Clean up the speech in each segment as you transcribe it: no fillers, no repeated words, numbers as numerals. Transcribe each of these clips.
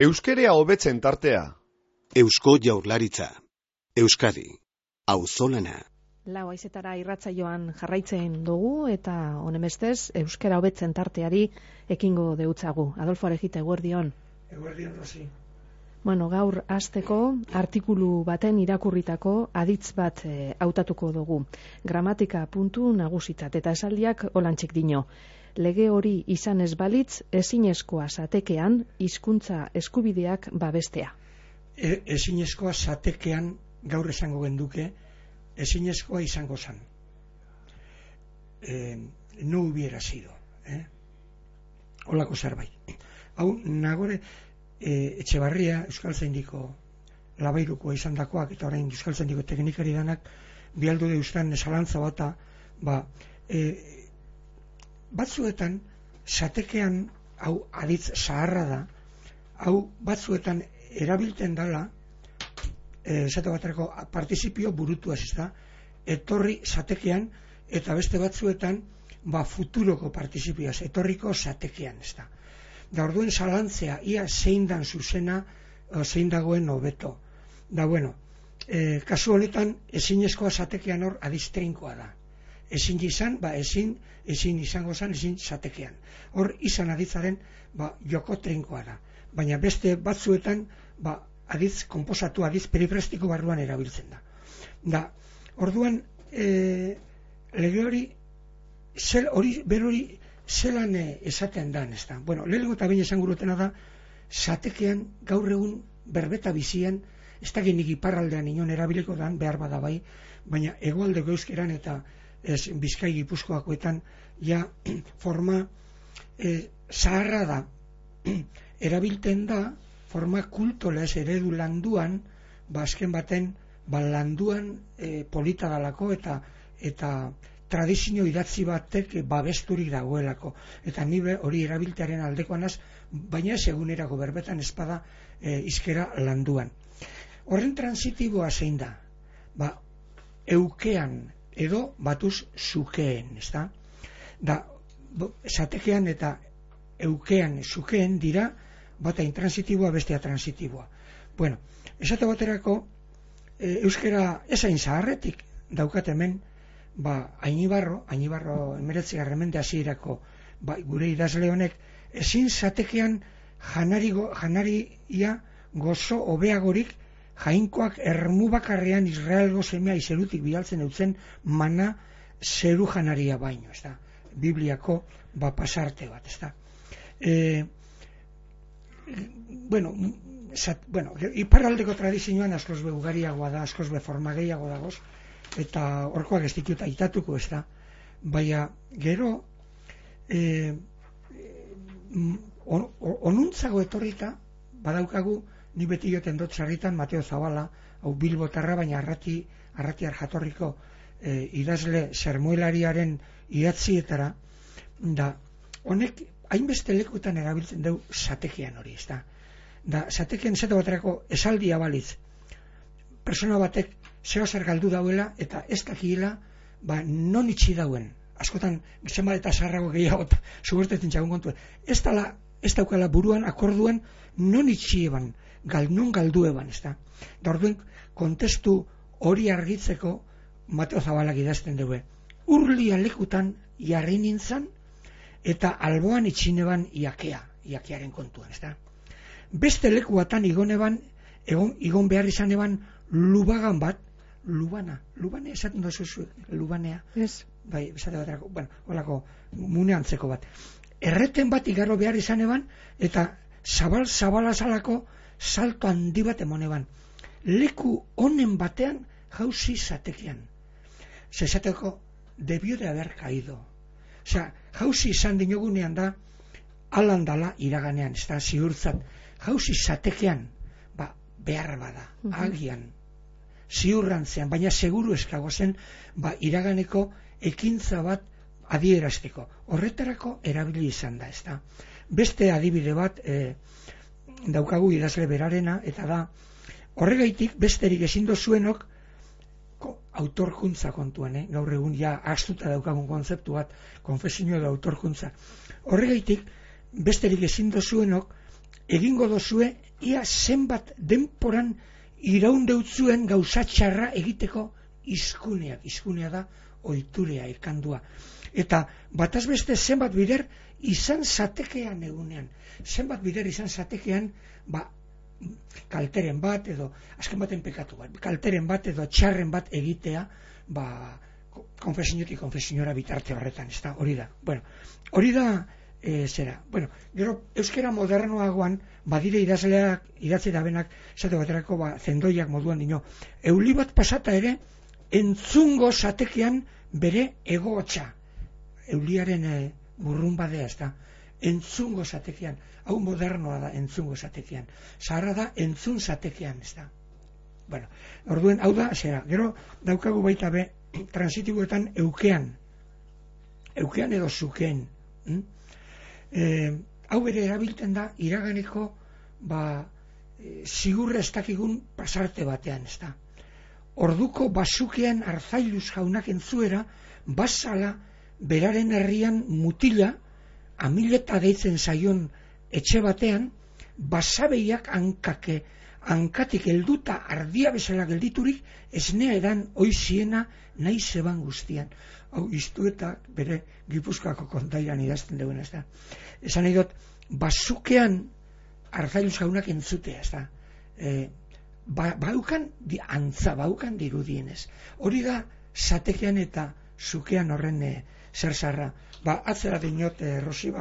Euskerea hobetzen tartea. Eusko Jaurlaritza. Euskadi. Auzolana. Lau haizetara irratsaioan jarraitzen dugu eta honemestez euskera hobetzen tarteari ekingo deutzagu. Adolfo Arejita, eguerdion. Eguerdion, Rosi. Bueno, gaur hasteko artikulu baten irakurritako aditz bat hautatuko dugu. Gramatika puntu nagusitzat eta esaldiak holantxek dino. Lege hori izan ez balitz, ezinezkoa zatekean hizkuntza eskubideak babestea. Ezinezkoa zatekean gaur esango genduke, ezinezkoa izango zan. No hubiera sido. Holako zerbait. Hau, nagore, Etxebarria, Euskaltzaindiko labairukoa izan dakoak, eta orain Euskaltzaindiko teknikari danak, bialdu deustan zalantza bata, batzuetan, zatekean, hau aditz zaharra da, hau batzuetan erabiltzen dala, esate baterako partizipio burutu ez da, etorri zatekean, eta beste batzuetan, futuroko partizipioaz, etorriko zatekean ez da. Da orduen zalantzea, ia zein dan zuzena, zein dagoen hobeto. Da bueno, kasu honetan, ezinezkoa zatekean hor adiztrinkoa da. Ezin izan, ezin izango zan, ezin zatekean. Hor izan aditzaren, joko trinkoa da. Baina beste batzuetan, aditz konposatu, aditz perifrastiko barruan erabiltzen da. Da, orduan, lege hori, berori zelan esaten dan, ez da. Bueno, lehenengo eta baina esan gurutena da, zatekean gaur egun berbeta bizian, ez da genik iparraldean inon erabiliko dan, behar bada bai, baina hegoaldeko euskeran eta Bizkai Gipuzkoakoetan ja forma zaharra da, erabilten da forma kultolez eredu landuan, azken baten landuan polita dalako eta tradizio idatzi batek babesturik dagoelako, eta ni hori erabiltearen aldekoanaz, baina ez egunerako berbetan espada izkera landuan. Horren transitiboa zein da? Eukean edo batuz zukeen, ez da? Da, zatekean eta eukean zukeen dira, bata intransitiboa, bestea transitiboa. Bueno, esate baterako, euskera esain zaharretik daukat hemen, Ainibarro 19. mende hasierako gure idazle honek, ezin zatekean janaria gozo hobeagorik jainkoak ermu bakarrean Israelgo semea izerutik bidaltzen eutzen mana zeru janaria baino, ez da? Bibliako pasarte bat, ez da? Bueno, iparraldeko tradizioan askoz be ugariagoa da, askoz be forma gehiago dagoz, eta horkoak ez ditut aitatuko, ez da? Baina, gero, onuntzago etorrita, badaukagu, ni beti joten dut sarritan Mateo Zabala, hau Bilbotarra, baina arratiar jatorriko idazle sermuelariaren idatzietara, da honek hainbeste lekutan erabiltzen dugu zatekean hori, ez da? Da, zatekean esate baterako esaldia balitz, persona batek zeo zer galdu dauela eta ez dakiela non itxi dauen. Askotan, zenbat eta zaharrago gehiago zubertetzen txagun kontuen. Ez daukala buruan, akorduan, non itxi eban, non galdu eban, ez da? Da orduen, kontestu hori argitzeko Mateo Zabalak idazten dugu. Urlia lekutan jarri nintzen eta alboan itxineban iakearen kontuan, ez da? Beste lekuatan igon behar izan eban lubagan bat, lubana esaten dozu lubanea. Ez. Bai, esate baterako, holako muneantzeko bat. Erreten bat igarro behar izan eban, eta zabala zalako salto handi bat emon eban. Leku honen batean jauzi zatekean. Zesateko, debió de haber caído. Osea, jauzi izan dinogunean da, alandala iraganean, ez da, ziurtzat. Jauzi zatekean, behar bada, agian, ziurrantzean, baina seguru eskago zen, iraganeko ekintza bat adierazteko. Horretarako erabili izan da, ez da. Beste adibide bat daukagu idazle berarena, eta da, horregaitik besterik ezin dozuenok autorkuntza kontuan, gaur egun ja astuta daukagun kontzeptu bat, konfesinio da autorkuntza. Horregaitik besterik ezin dozuenok egingo dozue ia zenbat denporan iraundeutzuen gauza txarra egiteko izkunea da oiturea, ikandua. Eta bataz beste zenbat bider izan zatekean egunean. Zenbat bider izan zatekean, kalteren bat edo, azken baten pekatu bat, kalteren bat edo txarren bat egitea, konfesionetik konfesiora bitarte horretan, ez da, hori da. Bueno, hori da, zera. Bueno, gero, euskera modernoagoan, badire idazleak, idatzi dabenak, esate baterako, zendoiak moduan dino, euli bat pasata ere, entzungo zatekean bere egotxa. Euliaren burrun badea, ez da. Entzungo zatekean. Hau modernoa da, entzungo zatekean. Zaharra da, entzun zatekean, ez da. Bueno, orduen, hau da, zera. Gero, daukagu baita be, transitiboetan eukean edo zukeen. Hau bere erabiltzen da, iraganeko, zigurra ez dakigun pasarte batean, ez da. Orduko bazukean Arzailuz jaunak entzuera, basala beraren herrian mutila, amileta deitzen zaion etxe batean, basabeiak hankatik helduta ardia bezala gelditurik, esnea edan oiziena nahi zeban guztian. Hau iztuetak bere Gipuzkoako kontairan idazten duena, ez da. Esan nahi dut, bazukean Arzailuz jaunak entzutea, ez da. Baukan dirudienez. Hori da zatekean eta zukean horren zer zarra. Atzera dinot, Rosi,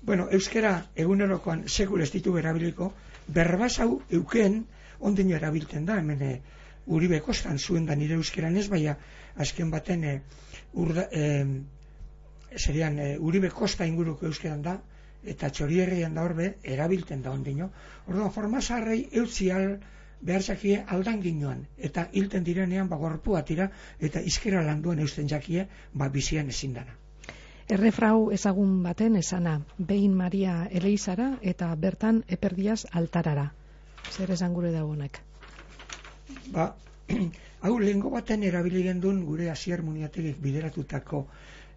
bueno, euskera egunerokoan sekul ez ditu erabiliko, berbaz hau eukeen ondino erabiltzen da, hemen Uribe Kostan zuen da nire euskeran ez, baina azken baten Uribe Kosta inguruko euskeran da, eta Txorierrian da horbe erabiltzen da ondino. Orduan, formazarrei eutzial behartzakie aldan ginoan, eta hilten direnean gorpua tira, eta izkera landuan eusten jakie, bizian ezin dana. Errefrau ezagun baten esana, behin Maria Eleizara eta bertan Eperdiaz altarara. Zer esan gure dagoenak? Hau lehengo baten erabili gendun gure Asier Muniategik bideratutako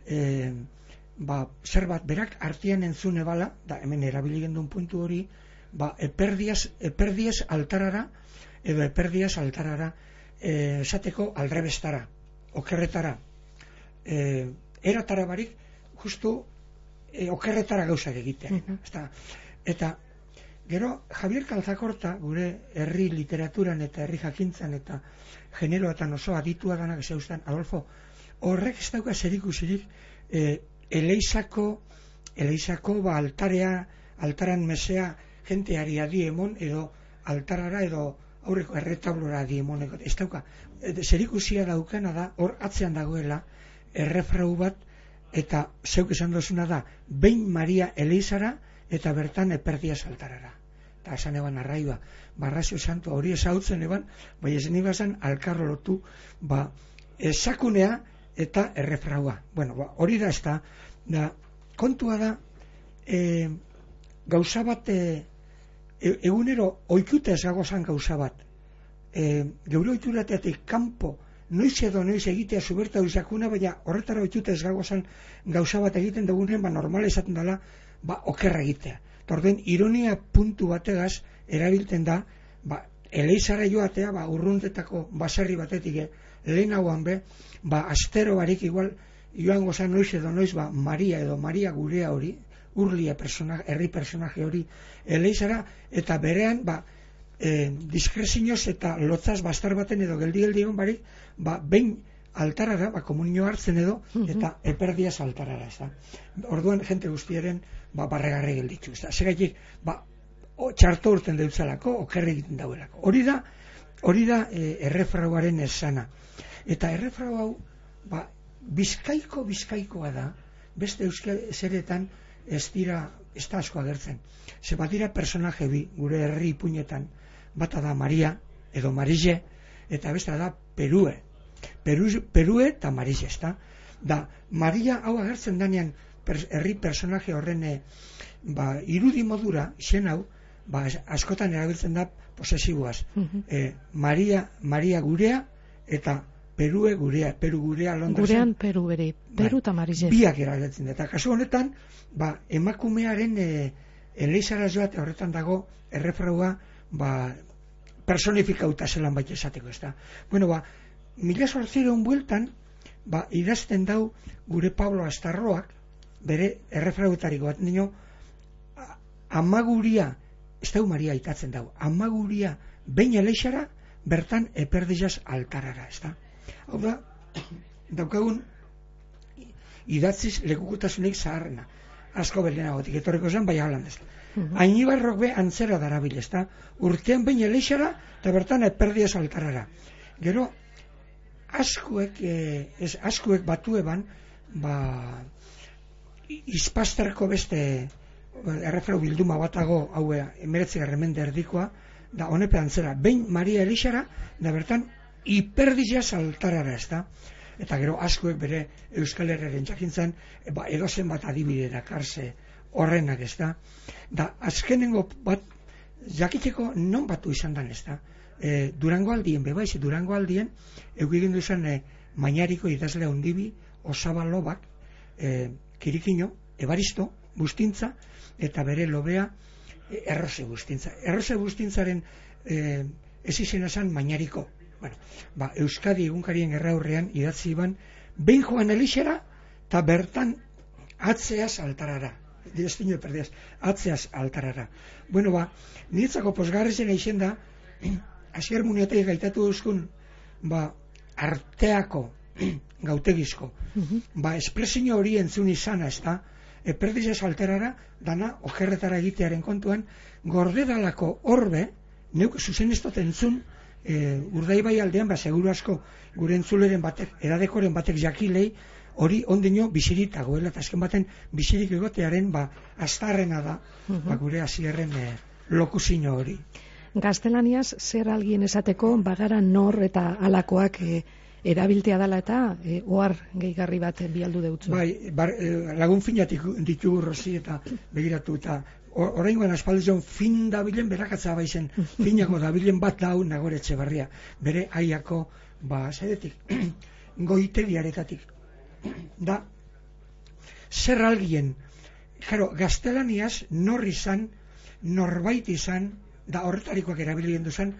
zer bat berak artean entzune bala, da hemen erabili gendun puntu hori, Eperdiaz altarara edo Eperdiaz altarara esateko aldrebestara, okerretara, eratara barik, justu okerretara gauzak egitea. Eta gero Javier Calzacorta, gure herri literaturan eta herri jakintzan eta generoatan oso aditua danak zeustan, Adolfo, horrek ez dauka zerikusirik Eleizako altaran mesea jenteari adiemon edo altarara edo aurreko erretablora adiemoneko. Ez dauka, zerikusia daukana da, hor atzean dagoela errefrau bat, eta zeuk esan dozuna da, behin Maria Eleizara eta bertan Eperdiaz altarara. Eta esan eban arraiba, Barrazio Santua hori ezautzen eban, bai esan ibazan alkarro lotu, esakunea eta errefraua. Bueno, hori da ez da, kontua da, gauza bat, egunero oikute ez gagozan gauza bat, geure oiturateatik kanpo, noiz edo noiz egitea zuberta duzakuna, baina horretara oitute ez gagozan gauza bat egiten dugunen, normala esaten dela, okerra egitea. Torden, ironia puntu bategaz erabiltzen da, Eleizara joatea, urruntetako baserri batetik, lehenagoan be, astero barik igual, joan gozan noiz edo noiz, Maria edo Maria gurea hori, urlia herri personaje hori, Eleizara, eta berean, diskrezinoz eta lotzaz bastar baten edo geldi egon barik, behin altarara, komunio hartzen edo, eta Eperdiaz altarara, ez da. Orduan, jente guztiaren, barregarri gelditu, ez da. Segaitik, txarto urten deutzalako, okerre egiten dauelako. Hori da errefrauaren esana. Eta errefrau hau, bizkaikoa da, beste euskal zeretan ez da asko agertzen. Ze bat dira personaje bi, gure herri ipuinetan, bata da Maria, edo Marise, eta besta da Perue eta Marise, ez da? Da, Maria hau agertzen danean herri personaje horren irudi modura, izen hau, askotan erabiltzen da posesiboaz. Maria gurea eta Peru gurea Londresen. Gurean Peru bere, Peru eta Marise. Biak erabiltzen da. Eta kasu honetan, emakumearen Elizara joate horretan dago errefraua personifikauta zelan baita esateko, ez da. Bueno, 1800 bueltan, idazten dau gure Pablo Astarroak, bere errefrauetariko bat nio, amaguria, ez da Maria itatzen dau, amaguria behin Elizara, bertan eperdizaz altarara, ez da. Hau da, daukagun idatziz lekukutasunik zaharrena. Asko belenagotik etorriko zen, bai halan ez. Ainibarrok be antzera darabil, ez da. Urtean behin Elizara, eta bertan eperdizaz altarara. Gero, askuek batu eban, izpasterko beste errefrau bilduma batago, hau 19. mende erdikoa, da honepe antzera, behin Maria Elizara, da bertan hiperdizaz altarara, ez da. Eta gero askuek bere Euskal Herriaren jakintzen, edozen bat adibide dakarze horrenak, ez da. Da, azkenengo bat, jakiteko non batu izan dan, ez da. Durango aldien, bebaiz, Durango aldien, eukigindu izan Mañariko idazle ondibi, Osaba Lobak, Kirikino, Ebaristo, Bustintza, eta bere lobea Errose Bustintza. Errose Bustintzaren ez izena zan Mañariko. Bueno, Euskadi egunkarien gerraurrean idatzi iban, behin joan Elizara, eta bertan atzeaz altarara. Destino perdiaz, atzeaz altarara. Bueno, niretzako posgarrezen eixen da, Asier Muniatek gaitatu duzkun, arteako gautegizko, espresio hori entzun izana, ez da, eperdizaz altarara, dana, okerretara egitearen kontuan, gordedalako orbe, neuk zuzen ez dut entzun, Urdaibai aldean, seguru asko gure entzuleren batek, edadekoren batek jakilei, hori ondino bizirik dagoela, eta azken baten bizirik egotearen astarrena da, gure Asierren lokuzino hori. Gaztelaniaz, zer algien esateko, bagara nor eta alakoak erabiltea dela eta ohar gehigarri bat bialdu deutzu. Lagun finatik ditugu Rosi eta begiratu eta oraingoan aspaldion fin dabilen berakatza baizen, finako dabilen bat dau Nagore Etxebarria, bere aiako, zeretik, goitegiaretatik. Da, zer algien, gaztelaniaz nor izan, norbait izan, da horretarikoak erabilien duzan,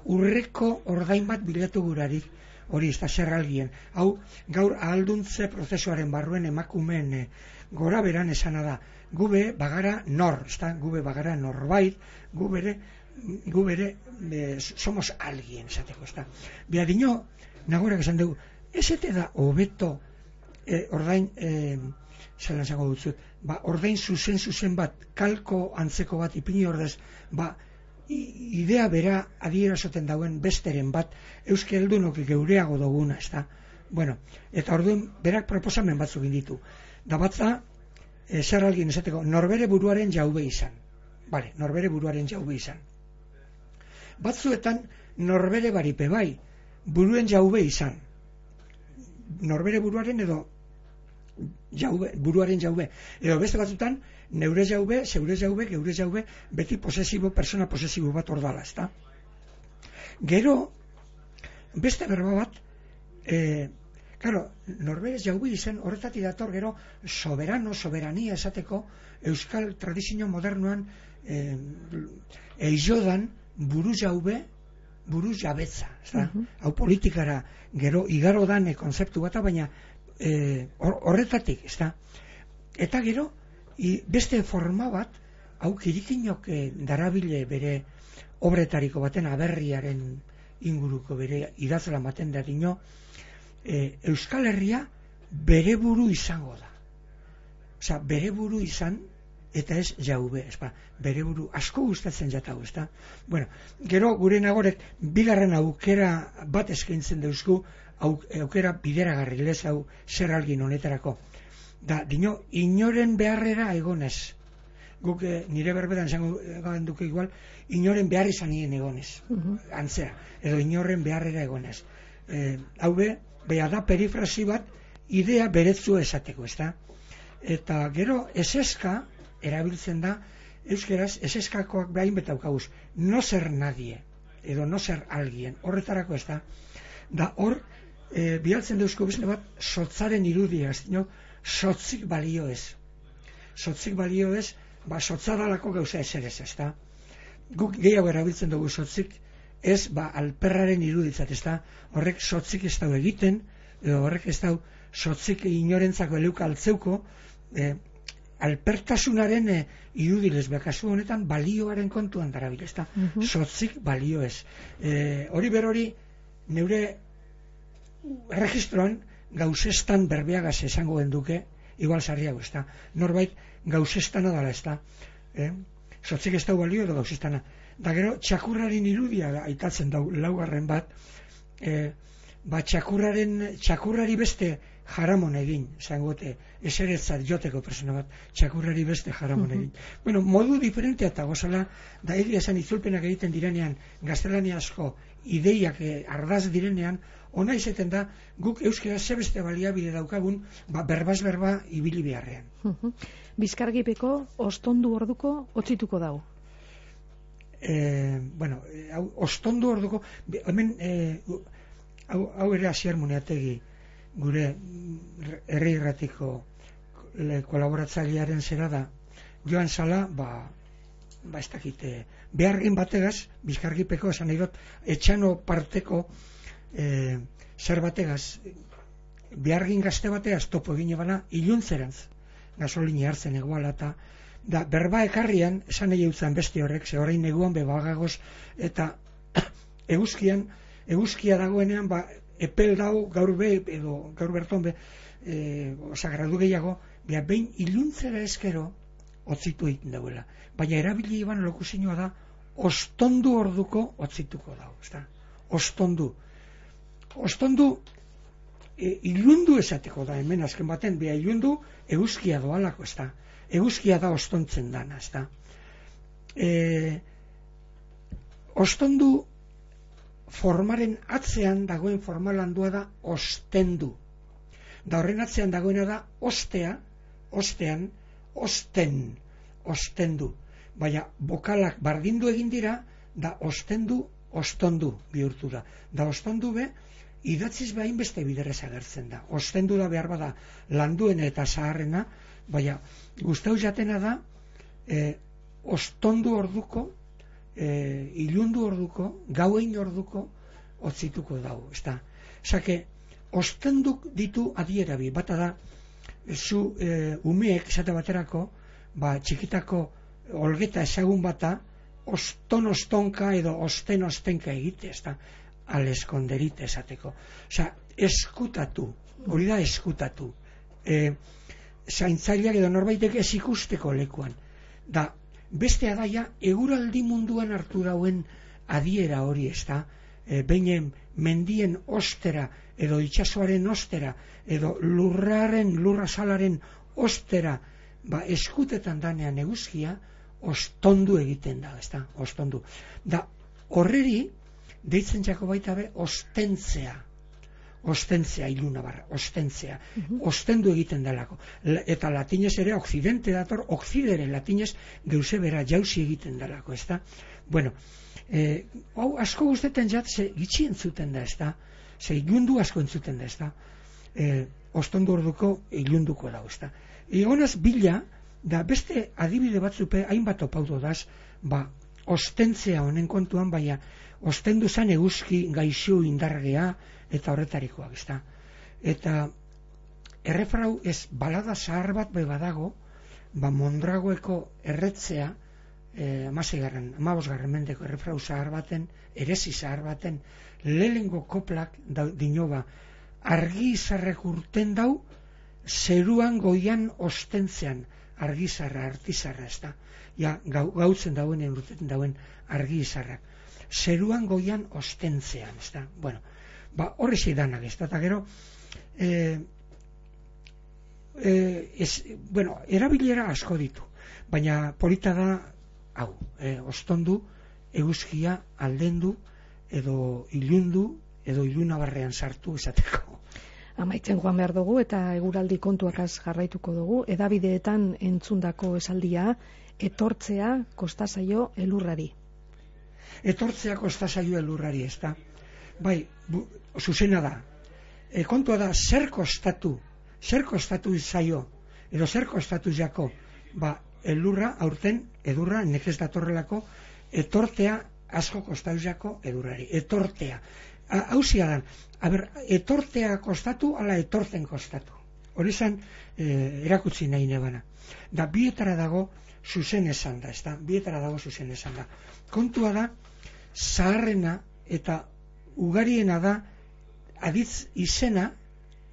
urreko ordain bat bilatu gurarik, hori ez da zer algien. Hau, gaur ahalduntze prozesuaren barruen emakumeen gora beran esana da. Gube bagara nor, gube bagara norbait, gubere somos alguien, esateko, ez da. Biadino, Nagorak esan dugu, ez ete da hobeto ordain, zelan zango dutzut, ordain zuzen bat, kalko antzeko bat, ipini ordez, idea bera adierazoten dauen besteren bat, euskeldunok geureago duguna, ez da. Bueno, eta orduan berak proposamen batzuk inditu. Da batza, zer algin esateko, norbere buruaren jaube izan. Norbere buruaren jaube izan. Batzuetan, norbere baripe bai, buruen jaube izan. Norbere buruaren edo buruaren jaube. Edo beste batzutan, neure jaube, zeure jaube, geure jaube, beti persona posesibo bat ordala, ezta? Gero, beste berba bat, norberez jaube izen horretatik dator gero soberania esateko euskal tradizio modernoan eizodan buru jaube, buru jabetza, hau politikara gero igaro dan konzeptu bata, baina horretatik, eta gero beste forma bat, hau Kirikinok darabile bere obretariko baten aberriaren inguruko bere idazla baten da dino, Euskal Herria bere buru izango da. Osa, bere buru izan eta ez jaube, bere buru asko gustatzen jatau, ezta? Bueno, gero gure Nagorek bigarren aukera bat eskaintzen dauzku, aukera bideragarri lez hau zer algin honetarako. Da, dino, inoren beharrera egonez. Guk nire berbedan zango duke igual, inoren behar izan nien egonez. Antzera, edo inoren beharrera egonez. Hau beha da perifrasi bat, idea beretzu esateko, ezta? Eta gero, eseska erabiltzen da, euskeraz, eseskakoak behain betaukaguz, no ser nadie, edo no ser alguien, horretarako, ezta? Da, hor, bialtzen dauzko bizne bat, sotzaren irudia, ez dino, sotzik balio ez. Sotzik balio ez, sotzadalako gauza eserez, ezta? Guk gehiago erabiltzen dugu sotzik, ez, alperraren iruditzat, ezta? Horrek sotzik ez dau egiten, edo horrek ez dau sotzik inorentzako eleuka altzeuko, alpertasunaren irudilez, kasu honetan balioaren kontuan darabil, ezta? Sotzik balio ez. Hori berori, neure erregistroan gauzestan berbeagaz esango genduke, igual sarriago, ezta? Norbait gauzestana dala, ezta? Sotzik ez dau balio edo gauzestana. Da gero, txakurraren irudia aitatzen dau, laugarren bat, txakurrari beste jaramon egin, zangote, eseretzat joteko persona bat, txakurrari beste jaramon egin. Bueno, modu diferentea eta gozala, da egia esan itzulpenak egiten direnean, gaztelaniazko ideiak ardaz direnean, ona izeten da, guk euskera zebeste baliabide daukagun, berbaz berba ibili beharrean. Bizkargipeko ostondu orduko otzituko dau? Ostondu orduko, hemen, hau ere Asier Muneategi, gure herri irratiko kolaboratzailearen zera da, joan zala, ez dakite, behargin bategaz, bizkargipeko, esan nahi dut, etxano parteko zer bategaz, behargin gazte bategaz topo egine bana, iluntzeranz, gasolini hartzen eguala, eta da, berba ekarrian, esan nahi eutzen beste horrek, ze horrein neguan bebagagoz, eta eguzkia dagoenean, epel dau gaur berton gradu gehiago, behin iluntzera eskero otzitu egiten dauela. Baina erabili iban lokuzinua da, ostondu orduko otzituko dau. Ostondu. Ostondu ilundu esateko da, hemen azken baten, ilundu eguzkia doalako, eguzkia da ostontzen dana. Ostondu formaren atzean dagoen formalandua da ostendu. Da horren atzean dagoena da ostean, ostendu. Baina bokalak bardindu egin dira, da ostendu, ostondu bihurtu da. Da ostondu be, idatziz behin beste biderrez agertzen da. Ostendu da behar bada landuena eta zaharrena, baina guztau jatena da, ostondu orduko, ilundu orduko, gauein orduko otzituko dago, ezta. Zake, ostenduk ditu adierabi, bata da, zu umeek, esate baterako, txikitako olgeta ezagun bata, ostonka edo ostenka egite, ezta, aleskonderite esateko. Osa, eskutatu, hori da eskutatu. Zaintzaileak edo norbaitek ez ikusteko lekuan. Da, beste adaia, eguraldi munduan hartu dauen adiera hori, ezta, behin mendien ostera, edo itsasoaren ostera, edo lurrazalaren ostera, eskutetan danean eguzkia, ostondu egiten da, ezta, ostondu. Da, horreri, deitzen jako baita be, ostentzea iluna barra, ostentzea, ostendu egiten delako. Eta latinez ere, okzidente dator, okzidere latinez, geuse bera jauzi egiten delako, ezta? Bueno, hau asko guztetan jat, ze gitxi entzuten da, ezta? Ze ilundu asko entzuten da, ezta? Ostondu orduko ilunduko da, ezta? Egonaz bila, da beste adibide batzupe, hainbat opaudo daz, ostentzea honen kontuan, baina ostendu zan eguzki gaixu indargea, eta horretarikoak, ezta. Eta errefrau ez balada zahar bat badago, Mondragoeko erretzea, 15. mendeko errefrau zahar baten, erezi zahar baten, lehengo koplak dinoba, argi izarrek urten dau, zeruan goian ostentzean, argizarra, artizarra, ezta. Ja, gautzen dauen, urteten dauen argi izarrak. Zeruan goian ostentzean, ezta. Bueno, horre zeidanak, ezta. Eta gero, erabilera asko ditu. Baina polita da, hau, ostondu, eguzkia aldendu, edo ilundu, edo ilunabarrean sartu esateko. Amaitzen joan behar dugu eta eguraldi kontuakaz jarraituko dugu. Edabideetan entzundako esaldia, etortzea kostazaio elurrari. Etortzea kostazaio elurrari, ezta. Bai, zuzena da. Kontua da, zer kostatu zaio, edo zer kostatu jako, elurra aurten edurra nekez datorrelako etortea asko kostauzako edurrari. Etortea. Hauzia da, etortea kostatu, ala etortzen kostatu. Hori zan erakutsi nahi nebana. Da, bietara dago zuzen esan da, ezta? Bietara dago zuzen esan da. Kontua da, zaharrena eta ugariena da aditz izena,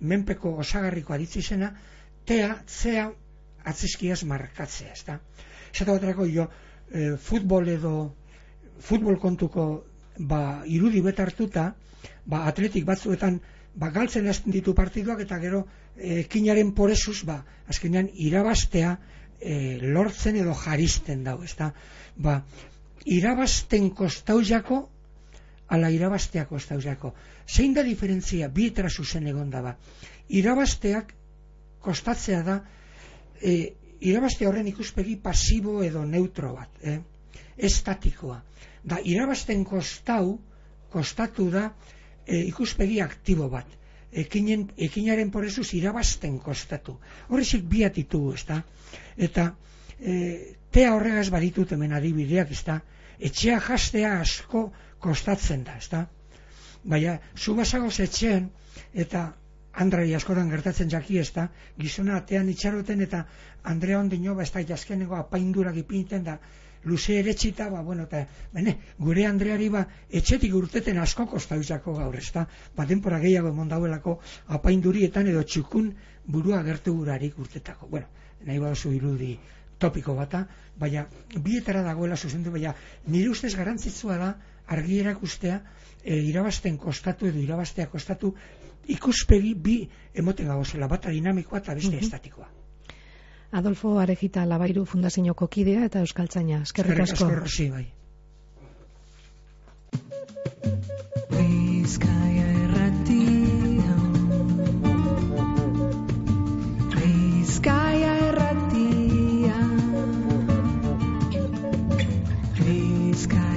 menpeko osagarriko aditz izena, zea atzizkiaz markatzea, ezta? Esate baterako jo, futbol kontuko irudi betartuta, atletik batzuetan galtzen hasten ditu partiduak eta gero ekinaren porezuz, azkenean irabaztea lortzen edo jaristen dau, ezta? Irabazten kostauzako ala irabaztea kostauzako. Zein da diferentzia bietara zuzen egon da irabazteak kostatzea da irabaztea horren ikuspegi pasibo edo neutro bat, estatikoa. Da, irabazten kostatu da ikuspegi aktibo bat. Ekinaren porezuz irabazten kostatu. Horrezik biat ditugu, ezta? Eta tea horregaz baditut hemen adibideak, ezta? Etxea jastea asko kostatzen da, ezta? Baina, zu basagoz etxean, eta Andrari askotan gertatzen jaki, ezta? Gizona atean itxaroten eta Andrea ondino, ez da jaskeneko apaindurak ipinten da, luze eretxita, eta gure Andreari etxetik urteten asko kostauzako gaur, ezta? Denpora gehiago emon dauelako apaindurietan edo txukun burua gertu gurarik urtetako. Nahi baduzu irudi topiko bata, baina bietara dagoela zuzendu, baina nire ustez garantzitsua da argi erakustea irabazten kostatu edo irabaztea kostatu ikuspegi bi emoten gagozela, bata dinamikoa eta beste estatikoa. Adolfo Arejita Labairu Fundazioko kidea eta euskaltzaina. Eskerrik asko. Rosi, bai. Bizkaia Irratia. Bizkaia Irratia. Bizkaia